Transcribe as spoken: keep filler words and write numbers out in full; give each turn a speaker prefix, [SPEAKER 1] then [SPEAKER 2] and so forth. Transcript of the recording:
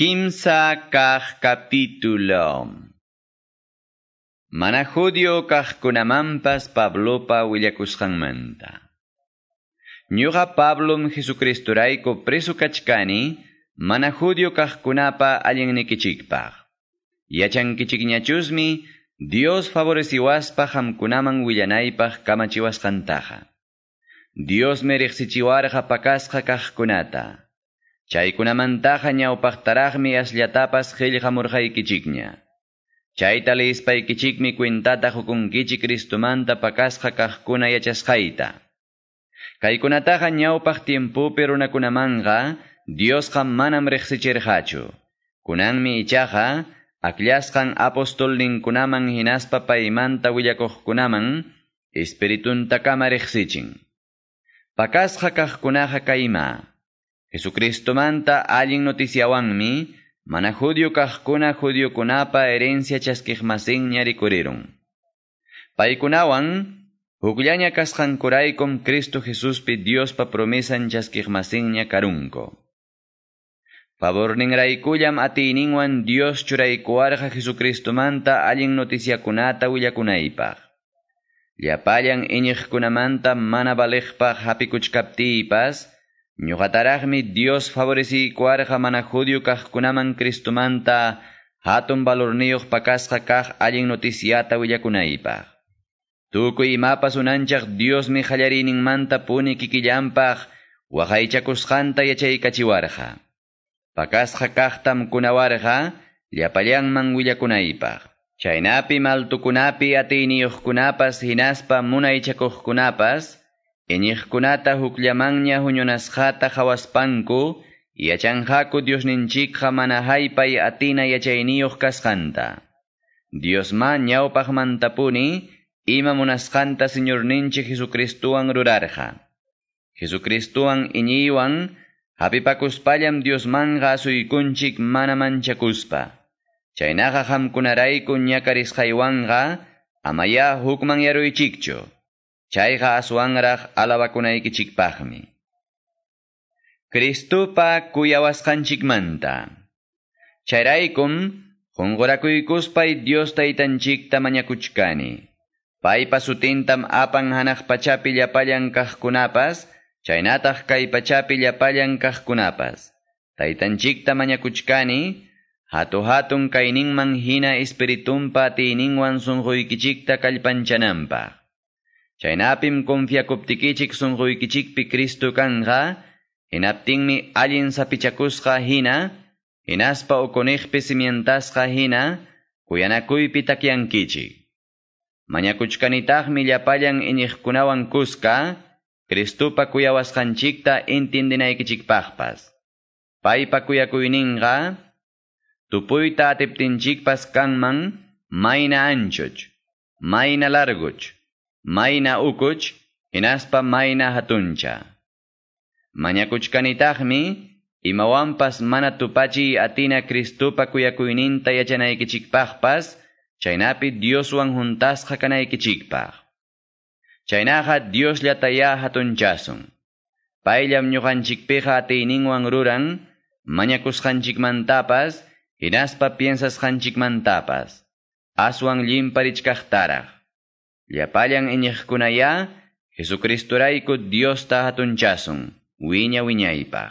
[SPEAKER 1] Kimsa kaq capítulo. Mana judío kaqkunamanpas Pablopa willakusqanmanta. Ñuqa Pablom Jesucristurayku preso kachkani, mana judío kaqkunapa allinnikichikpaq. Yachankichikñachusmi Dios favoreciwaspa qamkunaman willanaypaq kamachiwasqantaqa. Diosmi riqsichiwarqa pakasqa kaqkunata. Chaykunamantaqa ñawpaqtaraqmi asllatapas qillqamurqaykichikña. Chayta leyispaykichikmi cuentata qukunkichik Cristomanta pakasqa kaqkuna yachasqayta. Kaykunataqa ñawpaq tiempopi runakunamanqa Diosqa manam riqsichirqachu. Kunanmi ichaqa akllasqan apostolninkunaman hinaspa paymanta willakuqkunaman Espirituntakama riqsichin. Pakasqa kaqkunaqa kayma. Jesucristomanta allin noticiawanmi mana judío kaqkuna judiokunapa herencia chaskiqmasinña rikurirun. Paykunawan hukllaña kasqankuraykum Cristo Jesuspi Diospa promesan chaskiqmasinña karunku. Favorninraykullam atiyninwan Dios churaykuwarqa Jesucristomanta allin noticiakunata willakunaypaq. Llapallan iñiqkunamanta mana valiqpaq hapikuchkaptiypas, ñuqataraqmi Dios favoreciykuwarqa mana judío kaqkunaman Cristomanta hatun valorniyuq pakasqa kaq allin noticiata willakunaypaq. Tukuy imapas unanchaq Diosmi qallariyninmanta puni kikillanpaq waqaychakusqanta yachaykachiwarqa. Pakasqa kaqtam kunawarqa llapallanman willakunaypaq. Chaynapi maltukunapi atiyniyuqkunapas hinaspa munaychakuqkunapas iñiqkunata hukllamanña huñunasqata qhawaspanku yachanqaku Diosninchikqa mana haypay atina yachayniyuq kasqanta. Diosma ñawpaqmantapuni ima munasqanta Señorninchik Jesucristuwan rurarqa. Jesucristuwan iñiywan hapipakuspallam Diosmanqa asuykunchik mana manchakuspa. Chaynaqa qamkunarayku ñakarisqaywanqa amaya hukmanyaruychikchu. Chayqa aswanraq alabakunaykichikpaqmi. Cristopa kuyawasqanchikmanta. Chayraykum qunqurakuykuspay Dios taytanchikta mañakuchkani. Paypa sutintam apan hanaq pachapi llapallan kaqkunapas, chaynataq kay pachapi llapallan kaqkunapas. Taytanchikta mañakuchkani, hatu-hatun kayninman hina espiritunpa atiyninwan sunquykichikta kallpanchananpaq. Chaynapim confiakuptikichik sunquykichikpi Cristo kanqa, hinaptinmi allin sapichakusqa hina, hinaspa ukuniqpi cimientasqa hina, kuyanakuypi takyankichik. Mañakuchkanitaqmi llapallan iñiqkunawan kuska, Cristopa kuyawasqanchikta intindinaykichikpaqpas. Paypa kuyakuyninqa, tupuyta atiptinchikpas kanman, mayna anchuch, mayna larguch, mayna ukuch, hinaspa mayna hatuncha. Mañakuchkanitaqmi, imawanpas mana tupachiy atina Cristopa kuyakuyninta yachanaykichikpaqpas, chaynapi Dioswan juntasqa kanaykichikpaq. Chaynaqa Diosllatayá hatunchasun. Payllam ñuqanchikpiqa atiyninwan ruran, mañakusqanchikmantapas, hinaspa piensasqanchikmantapas. Aswan llimparichkaqtaraq. Llapallan iñiqkunayá, Jesucristurayku Diosta hatunchasun, wiña wiñaypaq.